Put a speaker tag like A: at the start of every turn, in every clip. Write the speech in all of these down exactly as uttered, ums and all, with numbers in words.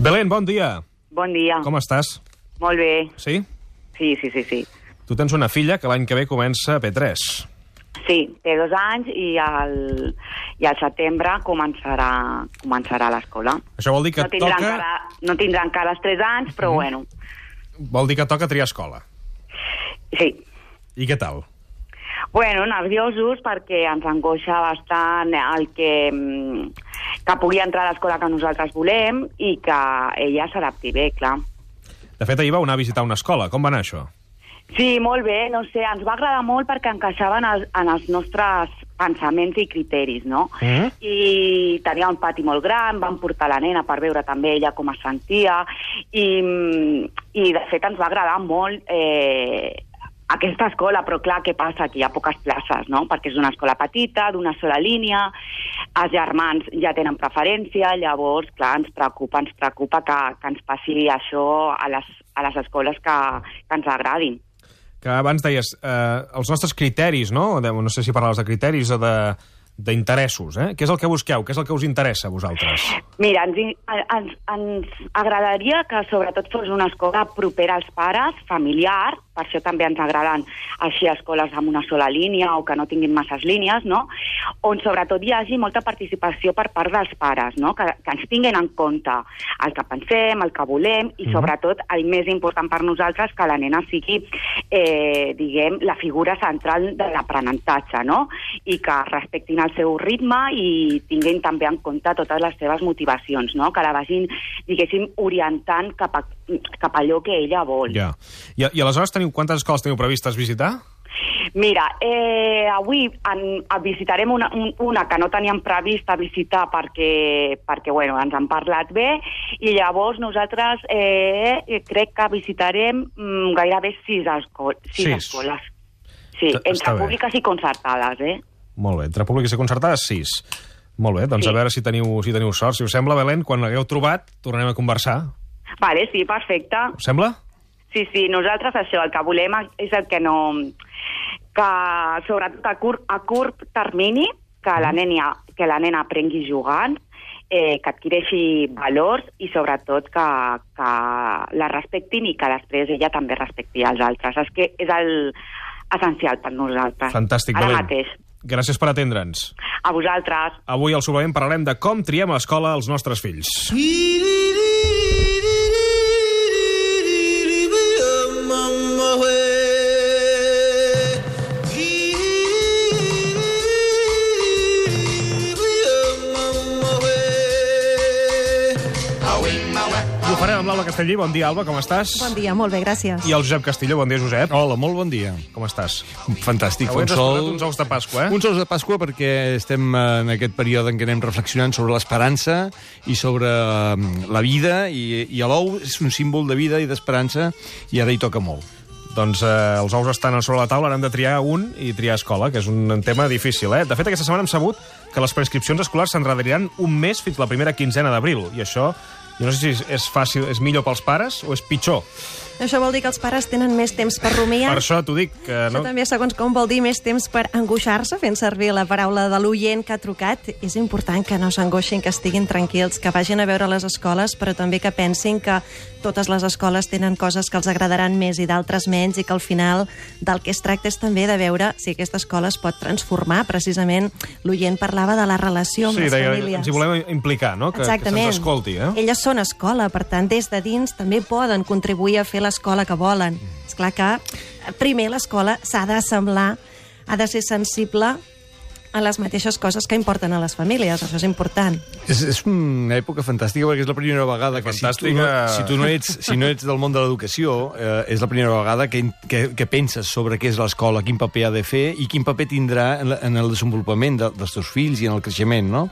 A: Belén, bon dia.
B: Bon dia.
A: Com estàs?
B: Molt bé.
A: Sí?
B: Sí, sí, sí, sí.
A: Tu tens una filla que l'any que ve comença a P tres.
B: Sí, té dos anys i al, i al setembre començarà, començarà l'escola.
A: Això vol dir que
B: no tindrà
A: toca...
B: Encara, no tindrà encara els tres anys, però mm. bueno.
A: Vol dir que toca triar escola.
B: Sí.
A: I què tal?
B: Bueno, nerviosos perquè ens angoixa bastant el que, que pugui entrar a l'escola que nosaltres volem i que ella s'adapti bé, clar.
A: De fet, ahir vau anar a visitar una escola. Com va anar això?
B: Sí, molt bé, no sé, ens va agradar molt perquè encaixava en els, en els nostres pensaments i criteris, no? Mm. I tenia un pati molt gran, vam portar la nena per veure també ella com es sentia, i, i de fet ens va agradar molt eh, aquesta escola, però clar, què passa? Que hi ha poques places, no? Perquè és una escola petita, d'una sola línia, els germans ja tenen preferència, llavors, clar, ens preocupa, ens preocupa que, que ens passi això a les, a les escoles que, que ens agradin.
A: Que abans deies, eh, els nostres criteris, no? No sé si parlaves de criteris o de d'interessos, eh? Què és el que busqueu? Què és el que us interessa a vosaltres?
B: Mira, ens, ens, ens agradaria que sobretot fos una escola propera als pares, familiar, per això també ens agraden així escoles amb una sola línia o que no tinguin masses línies, no? On sobretot hi hagi molta participació per part dels pares, no? Que, que ens tinguin en compte el que pensem, el que volem i sobretot el més important per nosaltres que la nena sigui, eh, diguem, la figura central de l'aprenentatge, no? I que respectin el seu ritme i tinguin també en compte totes les seves motivacions, no? Que la vagin, diguéssim, orientant cap a, cap a allò que ella vol.
A: Ja. I, i aleshores teniu, quantes escoles teniu previstes visitar?
B: Mira, eh, avui en, visitarem una, una que no teníem prevista visitar perquè, perquè bueno, ens han parlat bé i llavors nosaltres eh, crec que visitarem mm, gairebé sis, esco sis, sis escoles. Sí, entre públiques i concertades, eh?
A: Molt bé, entre públiques i concertades, sis. Molt bé, doncs sí. A veure si teniu, si teniu sort. Si us sembla, Belén, quan l'hagueu trobat, tornarem a conversar.
B: Vale, sí, perfecte.
A: Us sembla?
B: Sí, sí, nosaltres això, el que volem és el que no... que sobretot a curt, a curt termini, que la nena, que la nena aprengui jugant, eh, que adquireixi valors i sobretot que, que la respectin i que després ella també respecti els altres. És que és el essencial per nosaltres.
A: Fantàstic,
B: Ara
A: Belén.
B: mateix.
A: Gràcies per atendre'ns.
B: A vosaltres.
A: Avui al Suplement parlarem de com triem a l'escola els nostres fills. Ho farem amb l'Alba Castellví. Bon dia, Alba, com estàs?
C: Bon dia, molt bé, gràcies.
A: I el Josep Castillo. Bon dia, Josep.
D: Hola, molt bon dia.
A: Com estàs?
D: Fantàstic.
A: Avui ens has
D: sol...
A: portat uns ous de Pasqua, eh?
D: Uns ous de Pasqua perquè estem en aquest període en què anem reflexionant sobre l'esperança i sobre la vida, i, i l'ou és un símbol de vida i d'esperança, i ara hi toca molt.
A: Doncs eh, els ous estan sobre la taula, ara hem de triar un i triar escola, que és un tema difícil, eh? De fet, aquesta setmana hem sabut que les prescripcions escolars s'enredariran un mes fins la primera quinzena d'abril, i això, jo no sé si és fàcil, és millor pels pares o és pitjor.
C: Això vol dir que els pares tenen més temps per rumiar.
A: Per això t'ho dic. Que no...
C: Això també, segons com, vol dir més temps per angoixar-se, fent servir la paraula de l'oient que ha trucat. És important que no s'angoixin, que estiguin tranquils, que vagin a veure les escoles, però també que pensin que totes les escoles tenen coses que els agradaran més i d'altres menys, i que al final del que es tracta és també de veure si aquesta escola es pot transformar. Precisament l'oient parlava de la relació amb
A: sí,
C: les
A: deia,
C: famílies.
A: Ens hi volem implicar, no? Que,
C: exactament.
A: Que se'ns escolti, eh?
C: Elles són escola, per tant, des de dins també poden contribuir a fer l'escola que volen. És clar que primer l'escola s'ha d'assemblar, ha de ser sensible a les mateixes coses que importen a les famílies. Això és important.
D: És, és una època fantàstica perquè és la primera vegada que si tu, no, si tu no ets, si no ets del món de l'educació, eh, és la primera vegada que, que, que penses sobre què és l'escola, quin paper ha de fer i quin paper tindrà en, la, en el desenvolupament de, dels teus fills i en el creixement, no?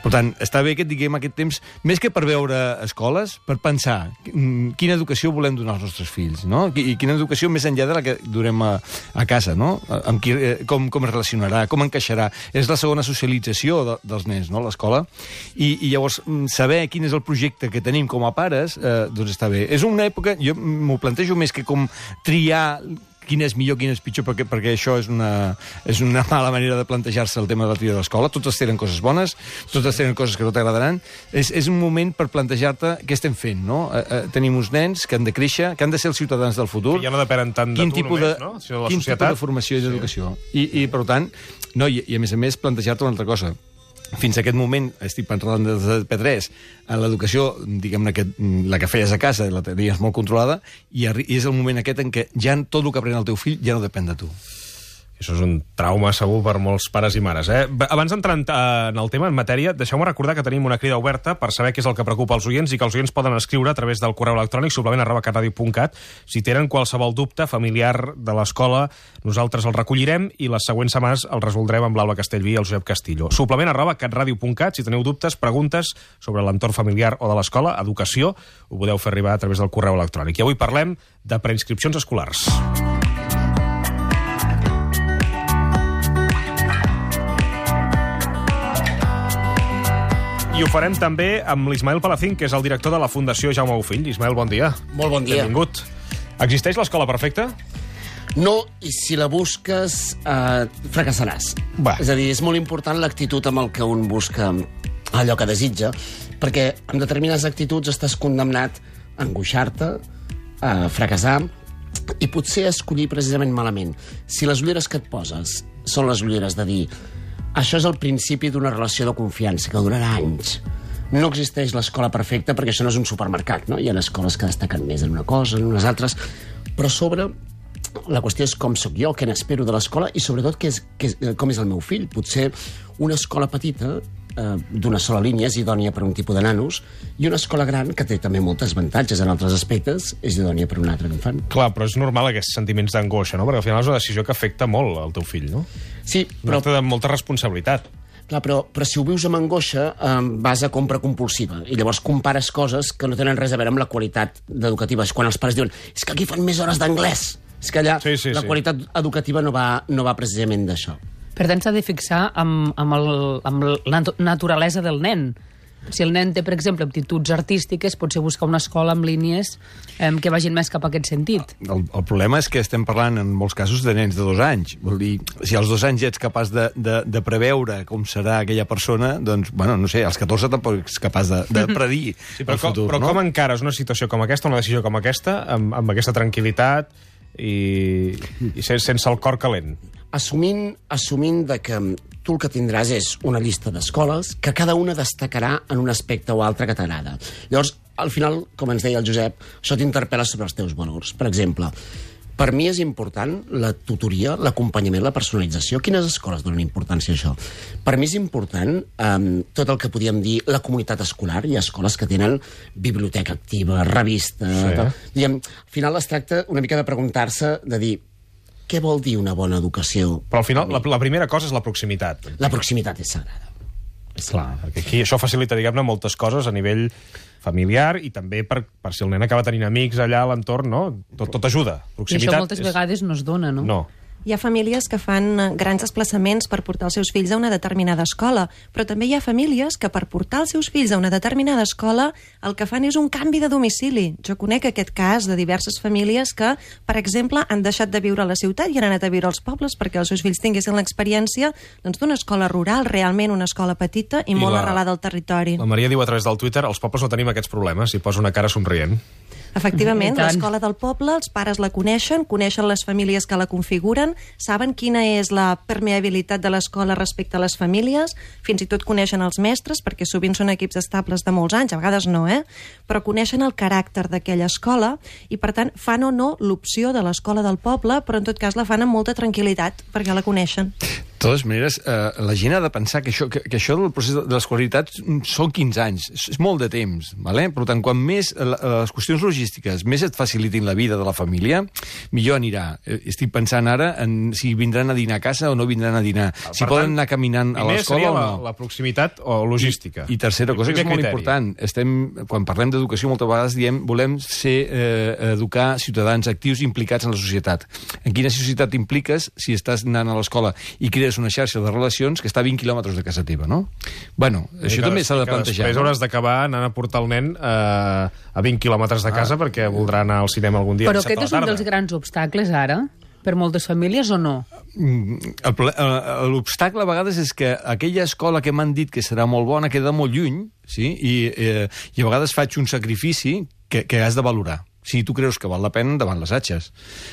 D: Per tant, està bé que diguem aquest temps, més que per veure escoles, per pensar quina educació volem donar als nostres fills, no? I quina educació més enllà de la que durem a, a casa, no? Amb qui, com, com es relacionarà, com encaixarà. És la segona socialització de, dels nens, no?, l'escola. I, I llavors saber quin és el projecte que tenim com a pares, eh, doncs està bé. És una època, jo m'ho plantejo més que com triar quin és millor, quin és pitjor, perquè, perquè això és una, és una mala manera de plantejar-se el tema de la tria de l'escola. Totes tenen coses bones, totes tenen coses que no t'agradaran. És, és un moment per plantejar-te què estem fent, no? Eh, eh, tenim uns nens que han de créixer, que han de ser els ciutadans del futur.
A: Que ja no depenen tant de
D: quin
A: tu només,
D: de,
A: no? Sinó de la
D: quin
A: societat.
D: tipus de formació i d'educació. Sí. I, I, per tant, no, i, i a més a més, plantejar-te una altra cosa. Fins a aquest moment, estic parlant de P tres, en l'educació, diguem-ne, que la que feies a casa la tenies molt controlada, i, i és el moment aquest en què ja tot el que aprèn el teu fill ja no depèn de tu.
A: Això és un trauma segur per molts pares i mares. Eh? Abans d'entrar en el tema, en matèria, deixeu-me recordar que tenim una crida oberta per saber què és el que preocupa els oients i que els oients poden escriure a través del correu electrònic suplement arroba catradio punt cat. Si tenen qualsevol dubte familiar de l'escola, nosaltres el recollirem i les següents setmanes el resoldrem amb l'Alba Castellví i el Josep Castillo. Suplement arroba catradio punt cat. Si teniu dubtes, preguntes sobre l'entorn familiar o de l'escola, educació, ho podeu fer arribar a través del correu electrònic. I avui parlem de preinscripcions escolars. I ho farem també amb l'Ismael Palacín, que és el director de la Fundació Jaume Bofill. Ismael, bon dia.
E: Molt bon dia.
A: Benvingut. Existeix l'escola perfecta?
E: No, i si la busques, eh, fracassaràs.
A: Va.
E: És a dir, és molt important l'actitud amb el que un busca allò que desitja, perquè amb determinades actituds estàs condemnat a angoixar-te, a fracassar, i potser a escollir precisament malament. Si les ulleres que et poses són les ulleres de dir això és el principi d'una relació de confiança que durarà anys. No existeix l'escola perfecta perquè això no és un supermercat, no? Hi ha escoles que destaquen més en una cosa, en unes altres, però a sobre la qüestió és com sóc jo, què n'espero de l'escola i sobretot què és, què és, com és el meu fill. Potser una escola petita eh, d'una sola línia és idònia per un tipus de nanos i una escola gran, que té també moltes avantatges en altres aspectes, és idònia per un altre infant.
A: Clar, però és normal aquests sentiments d'angoixa, no? Perquè al final és una decisió que afecta molt al teu fill, no?
E: Sí,
A: però...
E: però...
A: de molta responsabilitat.
E: Clar, però, però si ho vius amb angoixa, eh, vas a compra compulsiva i llavors compares coses que no tenen res a veure amb la qualitat educativa. És quan els pares diuen és que aquí fan més hores d'anglès. És que allà
A: sí, sí,
E: la
A: sí.
E: qualitat educativa no va, no va precisament d'això.
F: Per tant, s'ha de fixar amb, amb, el, amb la naturalesa del nen. Si el nen té, per exemple, aptituds artístiques, potser buscar una escola amb línies eh, que vagin més cap a aquest sentit.
D: El, el problema és que estem parlant, en molts casos, de nens de dos anys. Vol dir, si als dos anys ja ets capaç de, de, de preveure com serà aquella persona, doncs, bueno, no sé, als catorze tampoc ets capaç de, de predir
A: sí, però
D: el futur,
A: com, però
D: no?
A: com encares una situació com aquesta, una decisió com aquesta, amb, amb aquesta tranquil·litat i, i sense el cor calent?
E: Assumint, assumint de que tu el que tindràs és una llista d'escoles que cada una destacarà en un aspecte o altre que t'agrada. Llavors, al final, com ens deia el Josep, això t'interpel·la sobre els teus valors. Per exemple, per mi és important la tutoria, l'acompanyament, la personalització. Quines escoles donen importància a això? Per mi és important um, tot el que podíem dir la comunitat escolar. Hi ha escoles que tenen biblioteca activa, revista...
A: Sí.
E: Tal. Diguem, al final es tracta una mica de preguntar-se, de dir què vol dir una bona educació?
A: Però al final la, la primera cosa és la proximitat.
E: La proximitat és sagrada.
A: És clar, perquè aquí això facilita, diguem-ne, moltes coses a nivell familiar i també per, per si el nen acaba tenint amics allà a l'entorn, no? Tot, tot ajuda. Proximitat
F: I això moltes
A: és...
F: vegades no es dona, no?
A: No.
C: Hi ha famílies que fan grans desplaçaments per portar els seus fills a una determinada escola, però també hi ha famílies que per portar els seus fills a una determinada escola el que fan és un canvi de domicili. Jo conec aquest cas de diverses famílies que, per exemple, han deixat de viure a la ciutat i han anat a viure als pobles perquè els seus fills tinguessin l'experiència doncs, d'una escola rural, realment una escola petita i, I molt la, arrelada al territori.
A: La Maria diu a través del Twitter als pobles no tenim aquests problemes i posa una cara somrient.
C: Efectivament, l'escola del poble, els pares la coneixen, coneixen les famílies que la configuren, saben quina és la permeabilitat de l'escola respecte a les famílies, fins i tot coneixen els mestres, perquè sovint són equips estables de molts anys, a vegades no, eh? Però coneixen el caràcter d'aquella escola i, per tant, fan o no l'opció de l'escola del poble, però en tot cas la fan amb molta tranquil·litat, perquè la coneixen.
D: De totes maneres, eh, la gent ha de pensar que això, que, que això del procés de l'escolaritat són quinze anys, és molt de temps, ¿vale? Per tant, quan més eh, les qüestions logístiques més et facilitin la vida de la família, millor anirà. Estic pensant ara en si vindran a dinar a casa o no vindran a dinar,
A: per
D: si
A: tant,
D: poden anar caminant a l'escola o no.
A: La, la proximitat o logística.
D: I, i tercera cosa, que és molt important, estem, quan parlem d'educació moltes vegades diem volem ser, eh, educar ciutadans actius implicats en la societat. En quina societat impliques si estàs anant a l'escola i crees una xarxa de relacions que està a vint quilòmetres de casa teva, no? Bueno, I això també s'ha de plantejar.
A: Després
D: no?
A: hauràs d'acabar anant a portar el nen eh, a vint quilòmetres de casa ah. perquè voldrà anar al cinema algun dia.
F: Però aquest és un dels grans obstacles, ara. per moltes famílies o no?
D: L'obstacle a vegades és que aquella escola que m'han dit que serà molt bona queda molt lluny, sí? I, eh, i a vegades faig un sacrifici que, que has de valorar. Si tu creus que val la pena, endavant les atxes.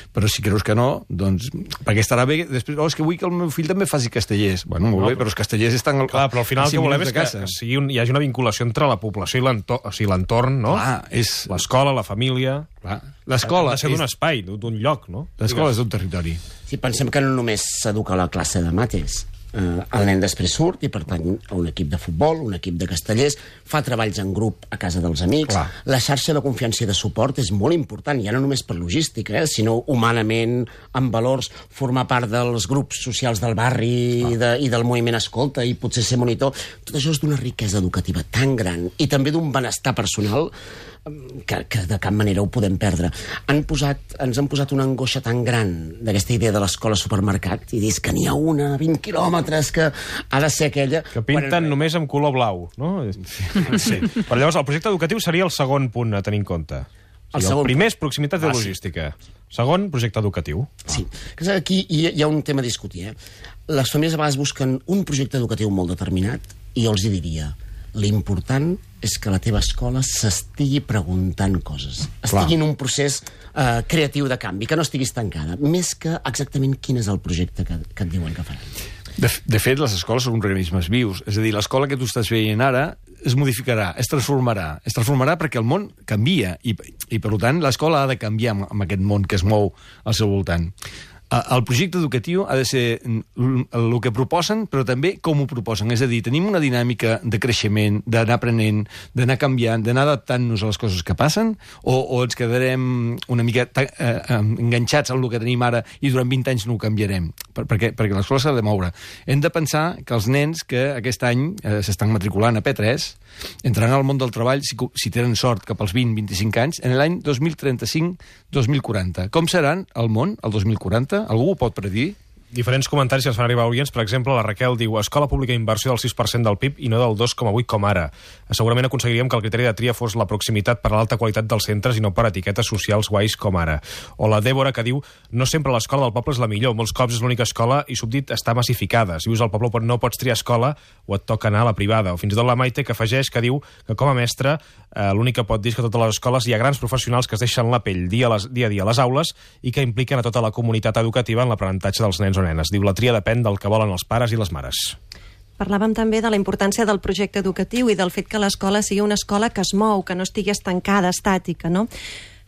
D: Però si creus que no, doncs... Perquè estarà bé... Després, oh, és que vull que el meu fill també faci castellers. Bueno, molt no, bé, però els castellers estan...
A: Clar, però al final el que volem és que sigui un, hi hagi una vinculació entre la població i l'entorn, o sigui, l'entorn, no?
D: Clar, és...
A: L'escola, la família...
D: L'escola...
A: Ha de ser d'un espai, d'un lloc, no?
D: L'escola és d'un territori.
E: Sí, pensem que no només s'educa a la classe de mates. Uh, el nen després surt i pertany a un equip de futbol, un equip de castellers, fa treballs en grup a casa dels amics. Clar. La xarxa de confiança i de suport és molt important, ja no només per logística, eh, sinó humanament, amb valors, formar part dels grups socials del barri i, de, i del moviment escolta i potser ser monitor. Tot això és d'una riquesa educativa tan gran i també d'un benestar personal que, que de cap manera ho podem perdre. Han posat, ens han posat una angoixa tan gran d'aquesta idea de l'escola supermercat i dius que n'hi ha una a vint quilòmetres que ha de ser aquella...
A: Que pinten bueno, només amb color blau, no? Sí. Però llavors el projecte educatiu seria el segon punt a tenir en compte. O sigui, el, el primer és proximitat i logística. Segon, projecte educatiu.
E: Sí. Aquí hi ha un tema a discutir. Eh? Les famílies a vegades busquen un projecte educatiu molt determinat i jo els hi diria... L'important és que la teva escola s'estigui preguntant coses. Estigui Clar. en un procés uh, creatiu de canvi, que no estiguis tancada, més que exactament quin és el projecte que, que et diuen que faran.
D: De, de fet, les escoles són organismes vius. És a dir, l'escola que tu estàs veient ara es modificarà, es transformarà. Es transformarà perquè el món canvia i, i per tant, l'escola ha de canviar amb, amb aquest món que es mou al seu voltant. El projecte educatiu ha de ser el que proposen, però també com ho proposen. És a dir, tenim una dinàmica de creixement, d'anar aprenent, d'anar canviant, d'anar adaptant-nos a les coses que passen, o, o ens quedarem una mica eh, enganxats al que tenim ara i durant vint anys no ho canviarem, per, perquè, perquè l'escola s'ha de moure. Hem de pensar que els nens que aquest any eh, s'estan matriculant a P tres entraran al món del treball, si, si tenen sort, cap als vint a vint-i-cinc anys, en l'any dos mil trenta-cinc dos mil quaranta. Com seran el món el dos mil quaranta? Algú ho pot predir?
A: Diferents comentaris que ens fan arribar oients. Per exemple, la Raquel diu: escola pública inversió del sis per cent del P I B i no del dos coma vuit com ara. Segurament aconseguiríem que el criteri de tria fos la proximitat per a l'alta qualitat dels centres i no per etiquetes socials guais com ara. O la Dèbora, que diu: no sempre l'escola del poble és la millor, molts cops és l'única escola i subdit està massificada. Si vius al poble no pots triar escola o et toca anar a la privada. O fins i tot la Maite, que afegeix, que diu que com a mestre eh, l'únic que pot dir és que a totes les escoles hi ha grans professionals que es deixen la pell dia a, les, dia a dia a les aules i que impliquen a tota la comunitat educativa en l'aprenentatge dels nens o nenes. Diu, la tria depèn del que volen els pares i les mares.
C: Parlàvem també de la importància del projecte educatiu i del fet que l'escola sigui una escola que es mou, que no estigui estancada, estàtica, no?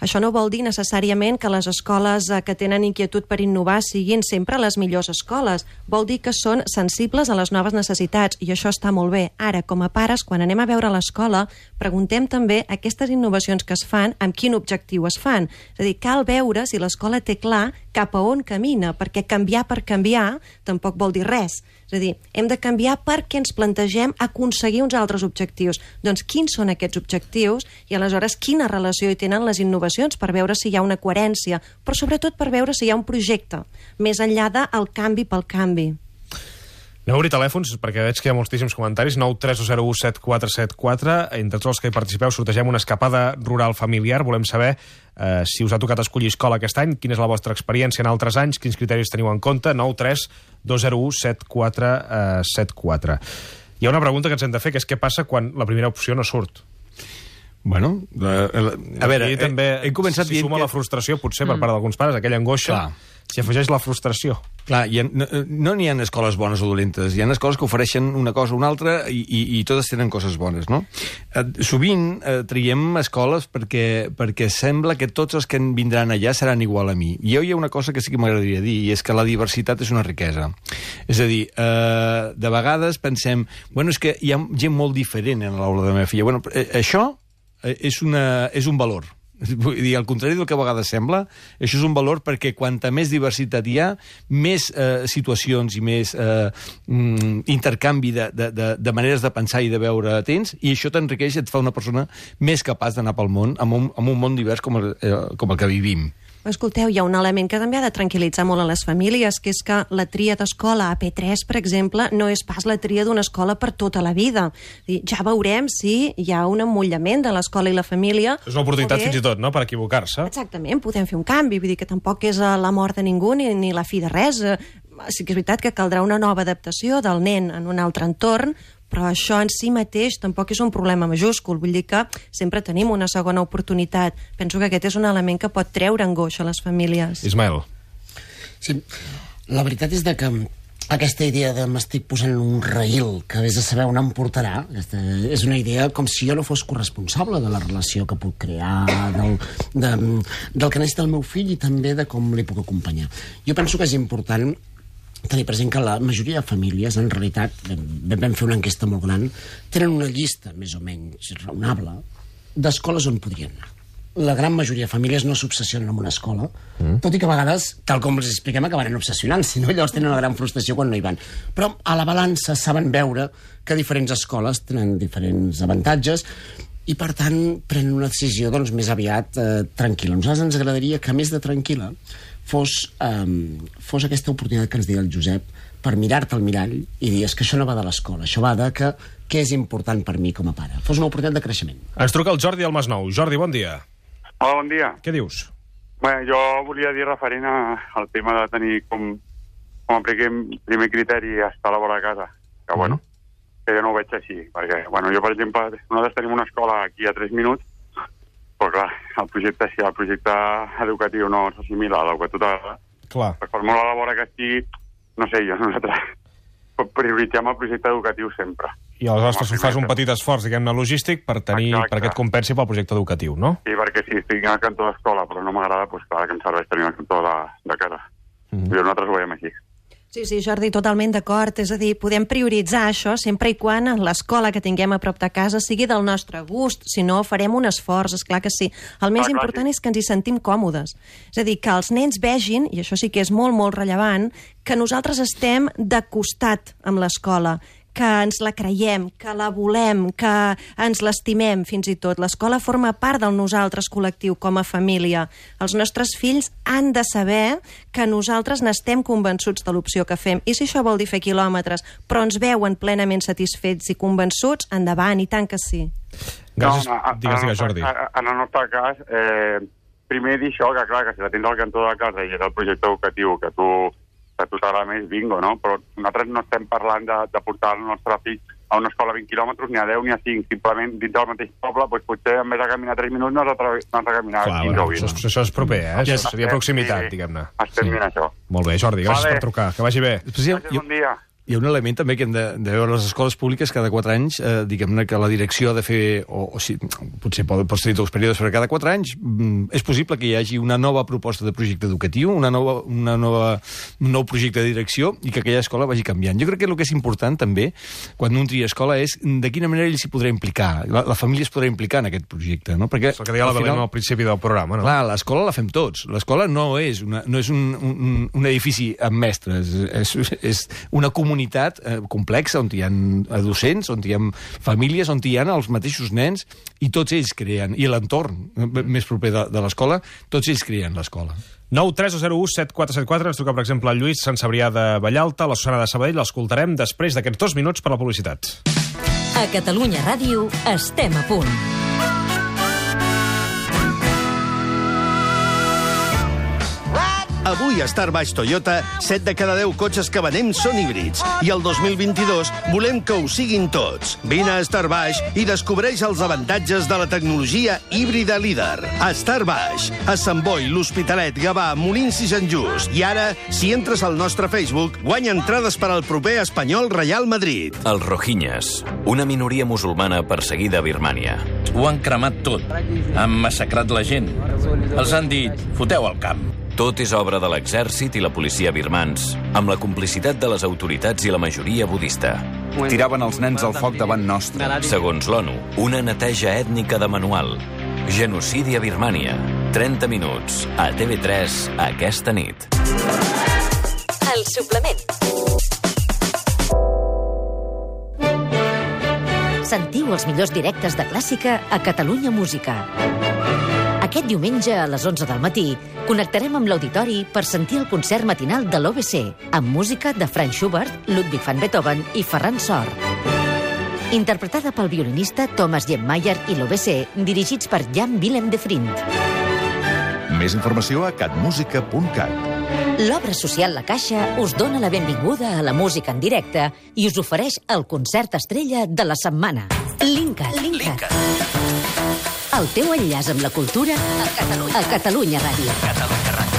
C: Això no vol dir necessàriament que les escoles que tenen inquietud per innovar siguin sempre les millors escoles. Vol dir que són sensibles a les noves necessitats i això està molt bé. Ara, com a pares, quan anem a veure l'escola, preguntem també aquestes innovacions que es fan, amb quin objectiu es fan. És a dir, cal veure si l'escola té clar cap a on camina, perquè canviar per canviar tampoc vol dir res. És a dir, hem de canviar perquè ens plantegem aconseguir uns altres objectius. Doncs quins són aquests objectius i aleshores quina relació hi tenen les innovacions per veure si hi ha una coherència, però sobretot per veure si hi ha un projecte, més enllà del canvi pel canvi.
A: Anem a obrir telèfons, perquè veig que hi ha moltíssims comentaris. nou tres zero u set quatre set quatre. Entre tots els que hi participeu sortegem una escapada rural familiar. Volem saber eh, si us ha tocat escollir escola aquest any, quina és la vostra experiència en altres anys, quins criteris teniu en compte. nou tres zero u set quatre set quatre. Hi ha una pregunta que ens hem de fer, que és què passa quan la primera opció no surt?
D: Bueno, la, la, a veure,
A: he, també,
D: he, he començat
A: si suma
D: que...
A: la frustració, potser, per part d'alguns pares, aquella angoixa, clar. S'hi afegeix la frustració.
D: Clar, ha, no n'hi ha escoles bones o dolentes, hi ha escoles que ofereixen una cosa o una altra i, i, i totes tenen coses bones, no? Eh, sovint eh, triem escoles perquè, perquè sembla que tots els que vindran allà seran igual a mi. I jo hi ha una cosa que sí que m'agradaria dir, i és que la diversitat és una riquesa. És a dir, eh, de vegades pensem, bueno, és que hi ha gent molt diferent en l'aula de la meva filla. Bueno, eh, això és, una, és un valor. Vull dir, al contrari del que a vegades sembla, això és un valor perquè quanta més diversitat hi ha, més eh, situacions i més eh, mm, intercanvi de, de, de, de maneres de pensar i de veure tens, i això t'enriqueix i et fa una persona més capaç d'anar pel món amb un, amb un món divers com el, eh, com el que vivim.
C: Escolteu, hi ha un element que també ha de tranquil·litzar molt a les famílies, que és que la tria d'escola a P tres, per exemple, no és pas la tria d'una escola per tota la vida. Ja veurem si hi ha un emmollament de l'escola i la família.
A: És una oportunitat
C: bé...
A: fins i tot, no?, per equivocar-se.
C: Exactament, podem fer un canvi, vull dir que tampoc és la mort de ningú ni, ni la fi de res. Sí que és veritat que caldrà una nova adaptació del nen en un altre entorn, però això en si mateix tampoc és un problema majúscul. Vull dir que sempre tenim una segona oportunitat. Penso que aquest és un element que pot treure angoixa a les famílies.
A: Ismael.
E: Sí, la veritat és de que aquesta idea de m'estic posant en un raïl que vés a saber on em portarà, és una idea com si jo no fos corresponsable de la relació que puc crear, del, de, del que necessita el meu fill i també de com li puc acompanyar. Jo penso que és important tenir present que la majoria de famílies, en realitat, vam fer una enquesta molt gran, tenen una llista més o menys raonable d'escoles on podrien anar. La gran majoria de famílies no s'obsessionen amb una escola, mm. tot i que a vegades, tal com els expliquem, acabaran obsessionant, si no llavors tenen una gran frustració quan no hi van. Però a la balança saben veure que diferents escoles tenen diferents avantatges i, per tant, prenen una decisió doncs, més aviat eh, tranquil·la. A nosaltres ens agradaria que, a més de tranquil·la, fos, um, fos aquesta oportunitat que ens deia el Josep per mirar-te al mirall i dir, és que això no va de l'escola, això va de que què és important per mi com a pare. Fos una oportunitat de creixement.
A: Ens truca el Jordi al Masnou. Jordi, bon dia.
G: Hola, bon dia.
A: Què dius?
G: Bé, jo volia dir referent a, al tema de tenir com, com a primer criteri estar a la vora de casa, que mm. bueno, que jo no ho veig així, perquè, bueno, jo, per exemple, nosaltres tenim una escola aquí a tres minuts, però clar, el projecte, si el projecte educatiu no s'assimila a l'educatiu,
A: clar,
G: per molt a la vora que estigui, no sé, jo, nosaltres prioritzem el projecte educatiu sempre.
A: I aleshores fas un petit esforç, diguem-ne, logístic per tenir, Exacte. perquè et compensi pel projecte educatiu, no?
G: Sí, perquè si estic al cantó d'escola però no m'agrada, doncs clar que em serveix tenir el cantó de, de casa. Mm -hmm. I nosaltres ho veiem així.
C: Sí, sí, Jordi, totalment d'acord. És a dir, podem prioritzar això sempre i quan l'escola que tinguem a prop de casa sigui del nostre gust. Si no, farem un esforç, esclar que sí. El més ah, important clar, sí. és que ens hi sentim còmodes. És a dir, que els nens vegin, i això sí que és molt, molt rellevant, que nosaltres estem de costat amb l'escola, que ens la creiem, que la volem, que ens l'estimem, fins i tot. L'escola forma part del nosaltres col·lectiu com a família. Els nostres fills han de saber que nosaltres n'estem convençuts de l'opció que fem. I si això vol dir fer quilòmetres, però ens veuen plenament satisfets i convençuts, endavant, i tant que sí.
A: Gràcies.
G: No, no,
A: digues, digues, Jordi.
G: En el nostre cas, eh, primer dir això, que clar, que si la tens al cantó de casa i és el projecte educatiu que tu que tu t'agrada més, bingo, no? Però nosaltres no estem parlant de, de portar el nostre fill a una escola a vint quilòmetres, ni a deu ni a cinc, simplement dins del mateix poble, doncs potser en vez de caminar tres minuts no has de, no has de caminar
A: Clar,
G: quinze
A: bueno,
G: o vint.
A: Això, això és proper, eh? Això seria proximitat,
G: sí,
A: diguem-ne.
G: Estem sí. dient això.
A: Molt bé, Jordi, gràcies vale. per trucar, que vagi bé.
G: Gràcies, bon dia.
D: Hi ha un element també que hem de, de veure les escoles públiques cada quatre anys, eh, diguem-ne que la direcció ha de fer, o, o si, potser pot, pots tenir tots períodes, però cada quatre anys mm, és possible que hi hagi una nova proposta de projecte educatiu, una nova, una nova, un nou projecte de direcció i que aquella escola vagi canviant. Jo crec que el que és important també, quan un tria escola, és de quina manera ell s'hi podrà implicar, la, la família es podrà implicar en aquest projecte, no? Perquè,
A: és el que deia la Belén al principi del programa, no?
D: Clar, l'escola la fem tots. L'escola no és, una, no és un, un, un edifici amb mestres, és, és una comunitat eh, complexa, on hi ha docents, on hi ha famílies, on hi ha els mateixos nens, i tots ells creen, i l'entorn més proper de, de l'escola, tots ells creen l'escola.
A: nou tres zero u set quatre set quatre, ens truca, per exemple, el Lluís Sant Cebrià de Vallalta, la Susana de Sabadell, l'escoltarem després d'aquests dos minuts per la publicitat.
H: A Catalunya Ràdio estem a punt.
I: Avui a Star Baix Toyota, set de cada deu cotxes que venem són híbrids. I el dos mil vint-i-dos volem que ho siguin tots. Vine a Star Baix i descobreix els avantatges de la tecnologia híbrida líder. A Star Baix, a Sant Boi, l'Hospitalet, Gavà, Molins i Sant Just. I ara, si entres al nostre Facebook, guanya entrades per al proper Espanyol Real Madrid.
J: Els Rohingyes, una minoria musulmana perseguida a Birmània.
K: Ho han cremat tot. Han massacrat la gent. Els han dit, foteu al camp.
J: Tot és obra de l'exèrcit i la policia birmans, amb la complicitat de les autoritats i la majoria budista.
L: Tiraven els nens al foc davant nostre.
J: Segons l'ONU, una neteja ètnica de manual. Genocidi a Birmània. trenta minuts. A T V tres aquesta nit.
H: El suplement. Sentiu els millors directes de clàssica a Catalunya Música. Aquest diumenge a les onze del matí connectarem amb l'auditori per sentir el concert matinal de l'O B C, amb música de Franz Schubert, Ludwig van Beethoven i Ferran Sor. Interpretada pel violinista Thomas Jemmeier i l'O B C, dirigits per Jan Willem de Vriend.
M: Més informació a catmusica punt cat.
H: L'obra social La Caixa us dona la benvinguda a la música en directe i us ofereix el concert estrella de la setmana. Linkat. Linkat. El teu enllaç amb la cultura a Catalunya, a Catalunya Ràdio. Catalunya Ràdio.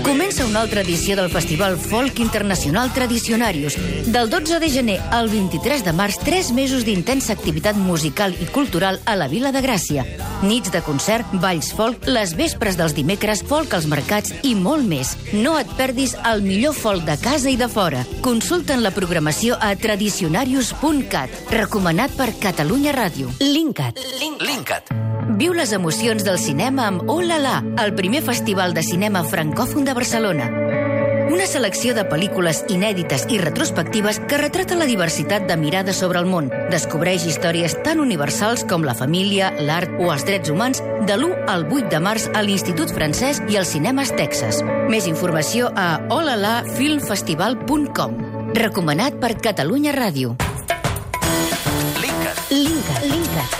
H: Comença una altra edició del Festival Folk Internacional Tradicionarius. Del dotze de gener al vint-i-tres de març, tres mesos d'intensa activitat musical i cultural a la Vila de Gràcia. Nits de concert, balls folk, les vespres dels dimecres, folk als mercats i molt més. No et perdis el millor folk de casa i de fora. Consulta'n la programació a tradicionarius punt cat. Recomanat per Catalunya Ràdio. Linkat. Linkat. Viu les emocions del cinema amb Oh La La, el primer festival de cinema francòfon de Barcelona. Una selecció de pel·lícules inèdites i retrospectives que retrata la diversitat de mirades sobre el món. Descobreix històries tan universals com la família, l'art o els drets humans de l'u al vuit de març a l'Institut Francès i als Cinemes Texas. Més informació a oh la la film festival punt com. Recomanat per Catalunya Ràdio. Linkat. Linkat. Linkat.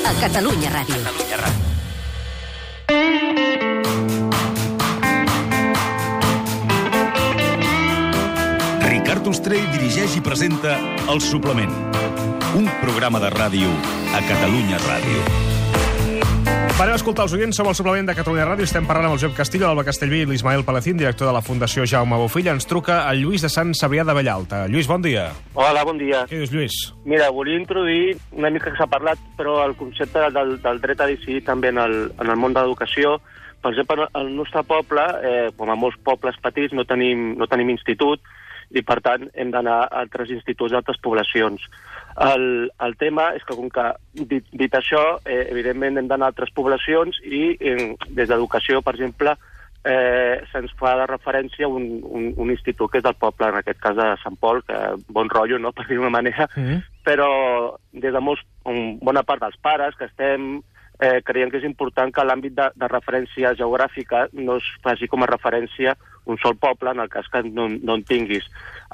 H: A Catalunya Ràdio. Catalunya Ràdio.
N: Ricard Ostrell dirigeix i presenta El Suplement, un programa de ràdio a Catalunya Ràdio.
A: Parem a escoltar els oients, som el Suplement de Catalunya Ràdio. Estem parlant amb el Josep Castillo, l'Alba Castellví i l'Ismael Palacín, director de la Fundació Jaume Bofill. Ens truca el Lluís de Sant Cebrià de Vallalta. Lluís, bon dia.
O: Hola, bon dia.
A: Què dius, Lluís?
O: Mira, volia introduir una mica que s'ha parlat, però el concepte del, del dret a decidir també en el, en el món de l'educació. Per exemple, al nostre poble, eh, com a molts pobles petits, no tenim, no tenim institut, i per tant hem d'anar a altres instituts d'altres poblacions. El, el tema és que, com que dit, dit això, eh, evidentment hem d'anar a altres poblacions i eh, des d'educació, per exemple, eh, se'ns fa de referència un, un, un institut que és del poble, en aquest cas de Sant Pol, que bon rotllo, no?, per dir d'una manera, mm-hmm. però des de molts, bona part dels pares que estem... Eh, creiem que és important que l'àmbit de, de referència geogràfica no es faci com a referència un sol poble, en el cas que no, no en tinguis.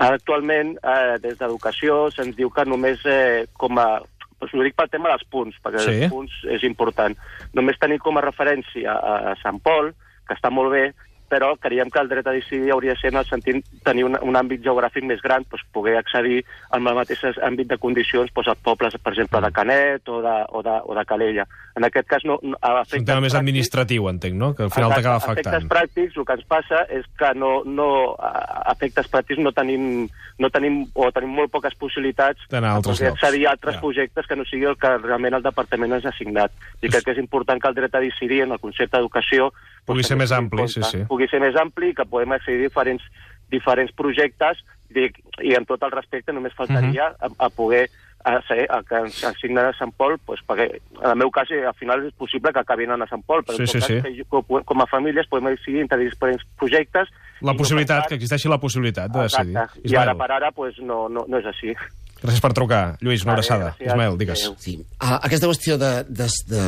O: Actualment, eh, des d'educació, se'ns diu que només eh, com a... Doncs ho dic pel tema dels punts, perquè sí. Els punts és important. Només tenir com a referència a, a Sant Pol, que està molt bé, però creiem que el dret a decidir hauria de ser en el sentit de tenir un, un àmbit geogràfic més gran, doncs poder accedir al mateix àmbit de condicions doncs, als pobles, per exemple, de Canet o de, o de, o de Calella. En aquest cas, no... no
A: és un tema més administratiu, entenc, no?, que al final t'acaba afectant.
O: Efectes pràctics, el que ens passa és que no, no, a efectes pràctics no tenim, no tenim, o tenim molt poques possibilitats
A: d'anar a altres llocs.
O: Accedir a altres ja. projectes que no sigui el que realment el departament ens ha assignat. I crec que és important que el dret a decidir en el concepte d'educació
A: pugui ser més ampli, sí, sí.
O: Pugui ser més ampli, que podem accedir a diferents, diferents projectes i, i amb tot el respecte només faltaria uh-huh. a, a poder a, ser, a que ens assignen a Sant Pol, pues, perquè en el meu cas al final és possible que acabin a Sant Pol, però
A: sí,
O: en tot
A: sí,
O: cas
A: sí.
O: Que, com a famílies podem decidir entre diferents projectes.
A: La possibilitat, que existeixi la possibilitat de decidir.
O: Exacte. I ara per ara pues, no, no, no és així.
A: Gràcies per trucar, Lluís, una abraçada. Ismael, digues.
E: Sí. Uh, aquesta qüestió de, de, de,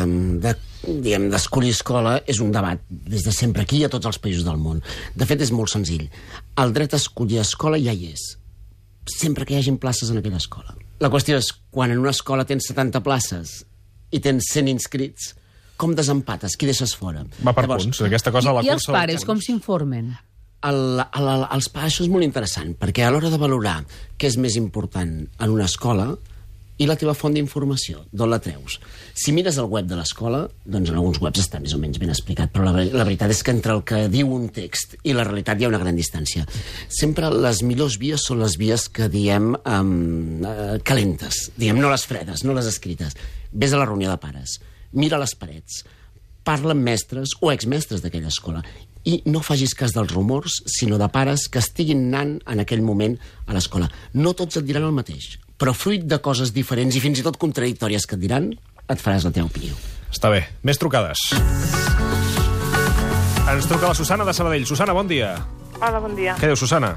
E: de, diguem, d'escollir escola és un debat des de sempre aquí i a tots els països del món. De fet, és molt senzill. El dret a escollir escola ja hi és, sempre que hi hagin places en aquella escola. La qüestió és, quan en una escola tens setanta places i tens cent inscrits, com desempates? Qui deixes fora?
A: Va per Llavors, punts, aquesta cosa a la
F: I
A: cursa...
F: I els pares, com s'informen?
E: El, el, el, els pares, això és molt interessant, perquè a l'hora de valorar què és més important en una escola i la teva font d'informació, d'on la treus. Si mires el web de l'escola, doncs en alguns webs està més o menys ben explicat, però la, la veritat és que entre el que diu un text i la realitat hi ha una gran distància. Sempre les millors vies són les vies que diem um, uh, calentes, diem no les fredes, no les escrites. Ves a la reunió de pares, mira les parets, parla amb mestres o exmestres d'aquella escola i no facis cas dels rumors, sinó de pares que estiguin anant en aquell moment a l'escola. No tots et diran el mateix, però fruit de coses diferents i fins i tot contradictòries que et diran, et faràs la teva opinió.
A: Està bé. Més trucades. Ens truca la Susana de Sabadell. Susana, bon dia.
P: Hola, bon dia.
A: Què diu, Susana?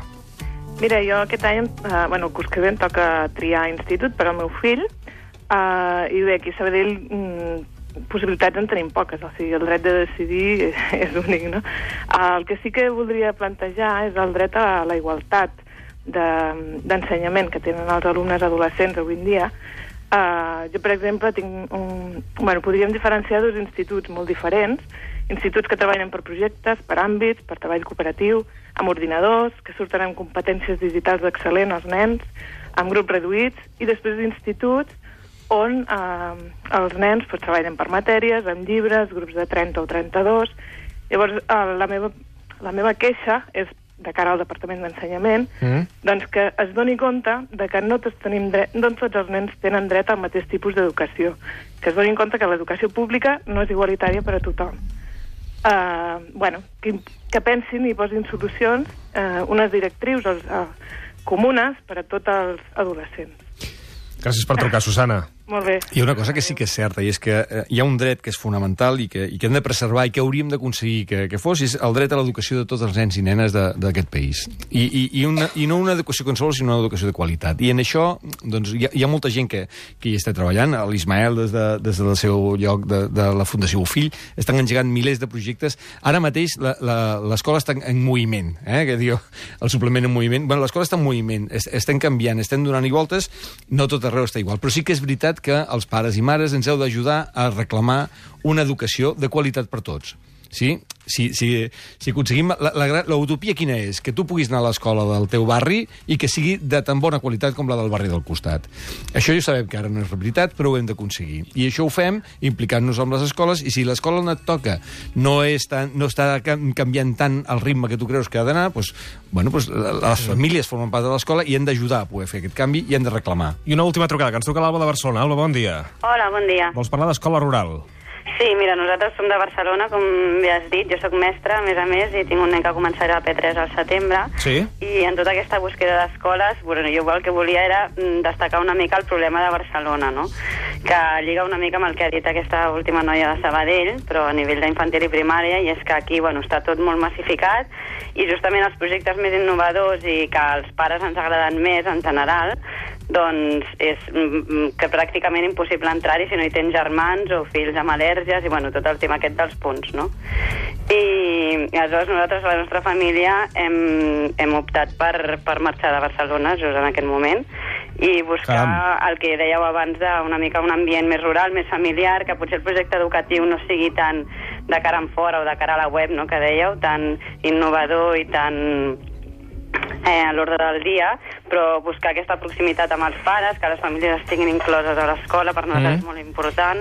P: Mira, jo aquest any, eh, bueno, el curs que ve em toca triar institut per al meu fill, eh, i bé, aquí a Sabadell mm, possibilitats en tenim poques, o sigui, el dret de decidir és únic, no? El que sí que voldria plantejar és el dret a la igualtat d'ensenyament que tenen els alumnes adolescents avui en dia. Uh, jo, per exemple, tinc un... Bueno, podríem diferenciar dos instituts molt diferents, instituts que treballen per projectes, per àmbits, per treball cooperatiu, amb ordinadors, que surten amb competències digitals excel·lents als nens, amb grups reduïts, i després d'instituts on eh, els nens pues, treballen per matèries, amb llibres, grups de trenta o trenta-dos. Llavors, eh, la, meva, la meva queixa és, de cara al Departament d'Ensenyament, mm. doncs que es doni compte de que no tots, tenim dret, no tots els nens tenen dret al mateix tipus d'educació, que es doni compte que l'educació pública no és igualitària per a tothom. Uh, bueno, que, que pensin i posin solucions, uh, unes directrius uh, comunes per a tots els adolescents.
A: Gràcies per trucar, Susana.
P: Molt bé.
D: Hi ha una cosa que sí que és certa, i és que eh, hi ha un dret que és fonamental i que, i que hem de preservar i que hauríem d'aconseguir que, que fos, és el dret a l'educació de tots els nens i nenes d'aquest país. I, i, i, una, I no una educació qualsevol, sinó una educació de qualitat. I en això doncs, hi, ha, hi ha molta gent que, que hi està treballant. L'Ismael, des, de, des del seu lloc de, de la Fundació Bofill, estan engegant milers de projectes. Ara mateix l'escola està en moviment, eh, que diu el suplement en moviment. Bueno, l'escola està en moviment, es, estem canviant, estem donant-hi voltes, no tot arreu està igual, però sí que és veritat que els pares i mares ens heu d'ajudar a reclamar una educació de qualitat per tots. Sí? Si, si, si aconseguim... L'utopia quina és? Que tu puguis anar a l'escola del teu barri i que sigui de tan bona qualitat com la del barri del costat. Això ja sabem que ara no és veritat, però ho hem d'aconseguir. I això ho fem implicant-nos amb les escoles, i si l'escola on et toca no, és tan, no està canviant tant el ritme que tu creus que ha d'anar, doncs, bueno, doncs, les famílies formen part de l'escola i hem d'ajudar a poder fer aquest canvi i hem de reclamar.
A: I una última trucada, que ens truca l'Alba de Barcelona. Alba, bon dia.
Q: Hola, bon dia.
A: Vols parlar d'escola rural?
Q: Sí, mira, nosaltres som de Barcelona, com ja has dit. Jo sóc mestra, a més a més, i tinc un nen que començarà a P tres al setembre.
A: Sí.
Q: I en tota aquesta búsqueda d'escoles, bueno, jo el que volia era destacar una mica el problema de Barcelona, no? Que lliga una mica amb el que ha dit aquesta última noia de Sabadell, però a nivell d'infantil i primària, i és que aquí, bueno, està tot molt massificat, i justament els projectes més innovadors i que als pares ens agraden més, en general, doncs és que pràcticament impossible entrar-hi si no hi tens germans o fills amb al·lèrgies i bueno, tot el tema aquest dels punts, no? I, i aleshores nosaltres, la nostra família, hem, hem optat per, per marxar de Barcelona just en aquest moment i buscar Caram. el que dèieu abans d'una mica un ambient més rural, més familiar, que potser el projecte educatiu no sigui tan de cara en fora o de cara a la web, no?, que dèieu, tan innovador i tan Eh, a l'ordre del dia, però buscar aquesta proximitat amb els pares, que les famílies estiguin incloses a l'escola, per nosaltres mm. és molt important,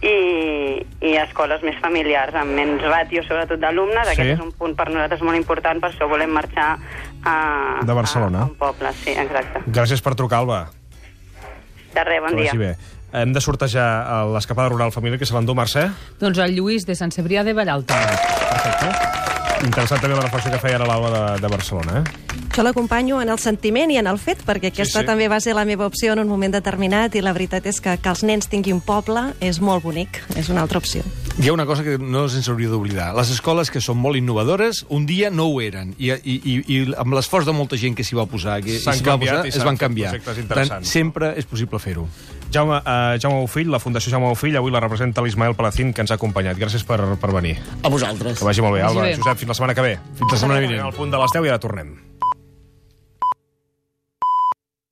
Q: i, i escoles més familiars, amb menys ràtio, sobretot d'alumnes. Sí. Aquest és un punt per nosaltres molt important, per això volem marxar a,
A: de Barcelona.
Q: a un poble. Sí, exacte.
A: Gràcies per trucar, Alba.
Q: De res, bon dia.
A: Bé. Hem de sortejar l'escapada rural família que se l'endú, Mercè?
F: Doncs el Lluís, de Sant Cebrià de Vallalta.
A: Perfecte. Interessant també la reflexió que feia ara l'Alba de, de Barcelona, eh?
C: Jo l'acompanyo en el sentiment i en el fet, perquè aquesta sí, sí. també va ser la meva opció en un moment determinat, i la veritat és que que els nens tinguin poble és molt bonic, és una altra opció.
D: Hi ha una cosa que no se'ns hauria d'oblidar. Les escoles que són molt innovadores, un dia no ho eren, i, i, i, i amb l'esforç de molta gent que s'hi va posar, que s'hi va posar, es van canviar. Per tant, sempre és possible fer-ho.
A: Jaume, uh, Jaume Bofill, la Fundació Jaume Bofill, avui la representa l'Ismael Palacín, que ens ha acompanyat. Gràcies per, per venir.
E: A vosaltres.
A: Que vagi molt bé, Alba. Josep, fins la setmana que ve.
D: Fins la setmana vinent.
A: Al punt de les deu i ara tornem.